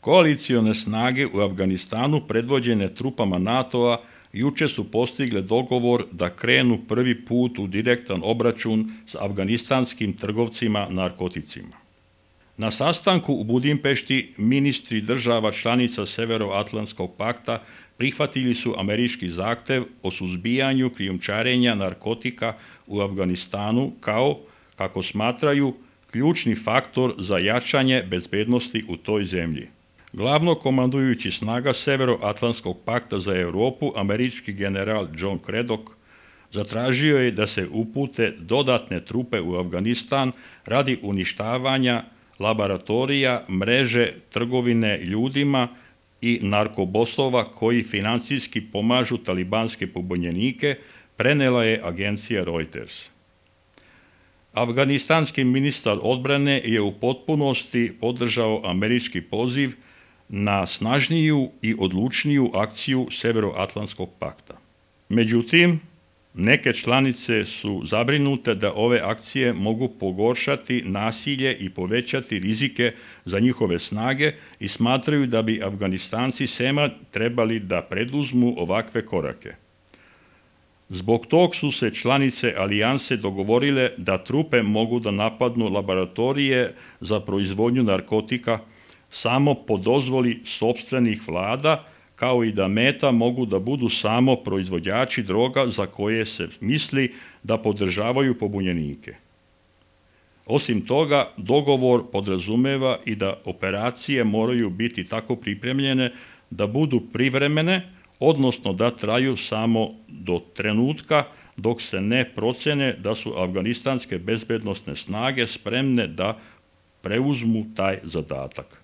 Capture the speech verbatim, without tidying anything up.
Koalicione snage u Afganistanu predvođene trupama NATO-a juče su postigle dogovor da krenu prvi put u direktan obračun s afganistanskim trgovcima narkoticima. Na sastanku u Budimpešti ministri država članica Severoatlantskog pakta prihvatili su američki zahtev o suzbijanju krijumčarenja narkotika u Afganistanu kao, kako smatraju, ključni faktor za jačanje bezbednosti u toj zemlji. Glavno komandujući snaga Severoatlantskog pakta za Europu, američki general John Craddock, zatražio je da se upute dodatne trupe u Afganistan radi uništavanja laboratorija, mreže trgovine ljudima i narkobosova koji financijski pomažu talibanske pobunjenike, prenela je agencija Reuters. Afganistanski ministar odbrane je u potpunosti podržao američki poziv na snažniju i odlučniju akciju Severoatlantskog pakta. Međutim, neke članice su zabrinute da ove akcije mogu pogoršati nasilje i povećati rizike za njihove snage i smatraju da bi Afganistanci sema trebali da preduzmu ovakve korake. Zbog tog su se članice alijanse dogovorile da trupe mogu da napadnu laboratorije za proizvodnju narkotika samo po dozvoli sopstvenih vlada, kao i da meta mogu da budu samo proizvođači droga za koje se misli da podržavaju pobunjenike. Osim toga, dogovor podrazumeva i da operacije moraju biti tako pripremljene da budu privremene, odnosno da traju samo do trenutka dok se ne procene da su afganistanske bezbednosne snage spremne da preuzmu taj zadatak.